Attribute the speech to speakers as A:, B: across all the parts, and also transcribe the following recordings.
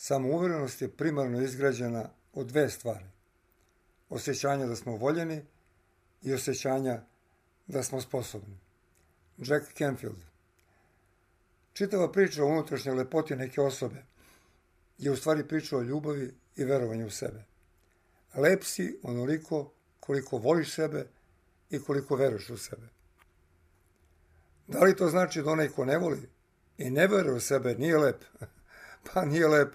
A: Samouverenost je primarno izgrađena od dve stvari. Osjećanja da smo voljeni i osjećanja da smo sposobni. Jack Canfield. Čitava priča o unutrašnjoj lepoti neke osobe je u stvari priča o ljubavi i verovanju u sebe. Lep si onoliko koliko voliš sebe i koliko veruješ u sebe. Da li to znači da onaj ko ne voli i ne veruje u sebe nije lep? Pa nije lep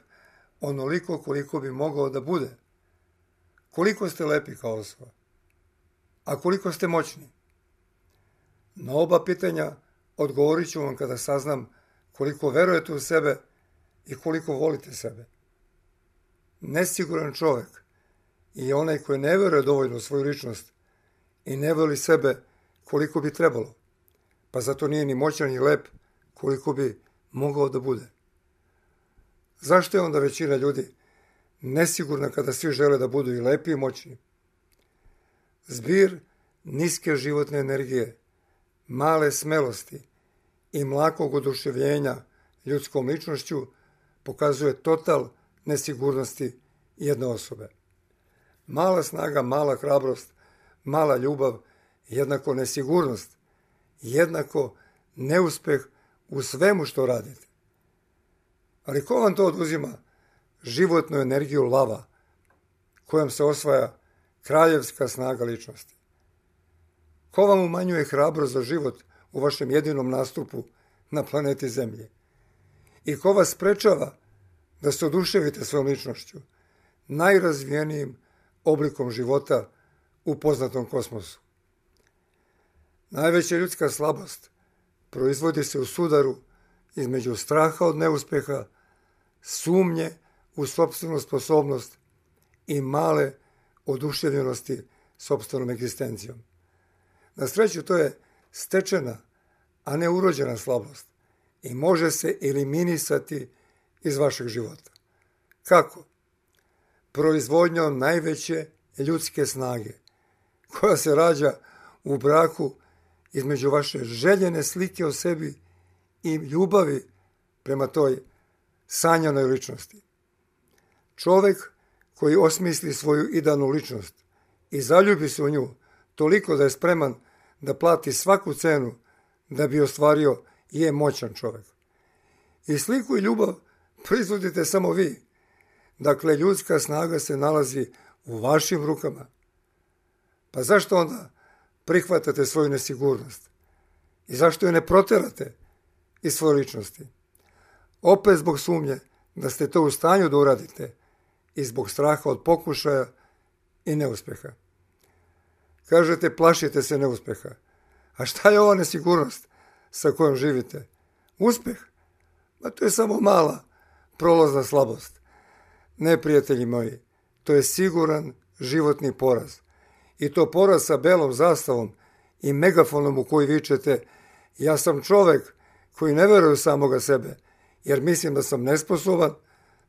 A: onoliko koliko bi mogao da bude. Koliko ste lepi kao osoba? A koliko ste moćni? Na oba pitanja odgovorit ću vam kada saznam koliko verujete u sebe i koliko volite sebe. Nesiguran čovjek je onaj koji ne veruje dovoljno u svoju ličnost i ne voli sebe koliko bi trebalo, pa zato nije ni moćan ni lep koliko bi mogao da bude. Zašto je onda većina ljudi nesigurna kada svi žele da budu i lepi i moćni? Zbir niske životne energije, male smelosti i mlakog oduševljenja ljudskom ličnošću pokazuje total nesigurnosti jedne osobe. Mala snaga, mala hrabrost, mala ljubav, jednako nesigurnost, jednako neuspeh u svemu što radite. Ali ko vam to oduzima životnu energiju lava, kojom se osvaja kraljevska snaga ličnosti? Ko vam umanjuje hrabrost za život u vašem jedinom nastupu na planeti Zemlje? I ko vas sprečava da se oduševite svojom ličnošću, najrazvijenijim oblikom života u poznatom kosmosu? Najveća ljudska slabost proizvodi se u sudaru između straha od neuspeha, sumnje u sopstvenu sposobnost i male oduševljenosti sopstvenom egzistencijom. Na sreću to je stečena, a ne urođena slabost i može se eliminisati iz vašeg života. Kako? Proizvodnjom najveće ljudske snage, koja se rađa u braku između vaše željene slike o sebi i ljubavi prema toj sanjanoj ličnosti. Čovjek koji osmisli svoju idealnu ličnost i zaljubi se u nju toliko da je spreman da plati svaku cenu da bi ostvario je moćan čovjek. I sliku i ljubav proizvodite samo vi. Dakle, ljudska snaga se nalazi u vašim rukama. Pa zašto onda prihvatate svoju nesigurnost? I zašto je ne proterate iz svoje ličnosti? Opet zbog sumnje da ste to u stanju da uradite i zbog straha od pokušaja i neuspeha. Kažete, plašite se neuspeha. A šta je ova nesigurnost sa kojom živite? Uspeh? Ma to je samo mala prolazna slabost. Ne, prijatelji moji, to je siguran životni poraz. I to poraz sa belom zastavom i megafonom u koji vičete: ja sam čovek koji ne veruje u samoga sebe, jer mislim da sam nesposoban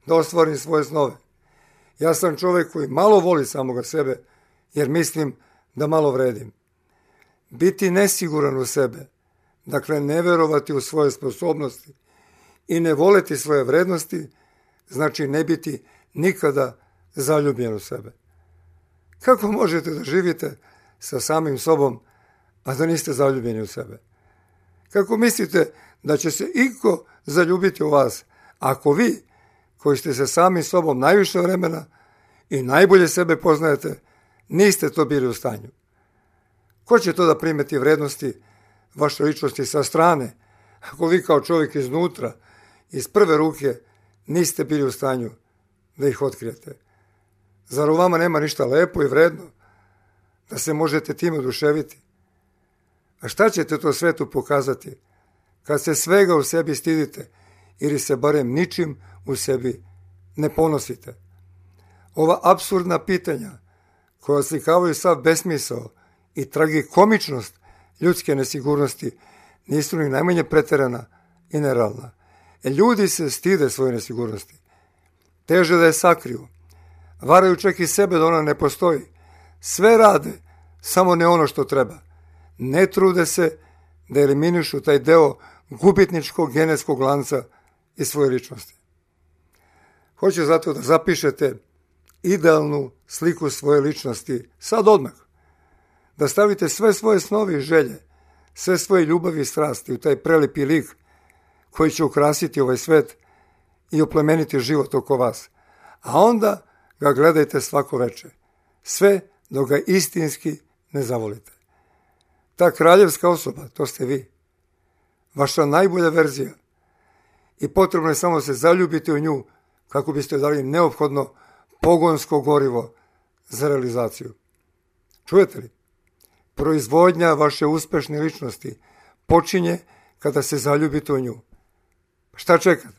A: da ostvarim svoje snove. Ja sam čovek koji malo voli samoga sebe, jer mislim da malo vredim. Biti nesiguran u sebe, dakle ne verovati u svoje sposobnosti i ne voleti svoje vrednosti, znači ne biti nikada zaljubljen u sebe. Kako možete da živite sa samim sobom, a da niste zaljubljeni u sebe? Kako mislite da će se iko zaljubiti u vas, ako vi, koji ste sa samim sobom najviše vremena i najbolje sebe poznajete, niste to bili u stanju? Ko će to da primeti vrednosti vaše ličnosti sa strane, ako vi kao čovjek iznutra, iz prve ruke, niste bili u stanju da ih otkrijete? Zar u vama nema ništa lepo i vredno da se možete time oduševiti? A šta ćete to svetu pokazati kad se svega u sebi stidite ili se barem ničim u sebi ne ponosite? Ova apsurdna pitanja koja oslikavaju sav besmisao i tragikomičnost ljudske nesigurnosti nisu ni najmanje preterana i nerealna. Ljudi se stide svoje nesigurnosti. Teže da je sakriju. Varaju čak i sebe da ona ne postoji. Sve rade, samo ne ono što treba. Ne trude se da eliminišu taj deo gubitničkog genetskog lanca iz svoje ličnosti. Hoću zato da zapišete idealnu sliku svoje ličnosti, sad odmah. Da stavite sve svoje snovi i želje, sve svoje ljubavi i strasti u taj prelipi lik koji će ukrasiti ovaj svet i oplemeniti život oko vas. A onda ga gledajte svako veče, sve dok ga istinski ne zavolite. Ta kraljevska osoba, to ste vi, vaša najbolja verzija, i potrebno je samo se zaljubiti u nju kako biste dali neophodno pogonsko gorivo za realizaciju. Čujete li? Proizvodnja vaše uspešne ličnosti počinje kada se zaljubite u nju. Šta čekate?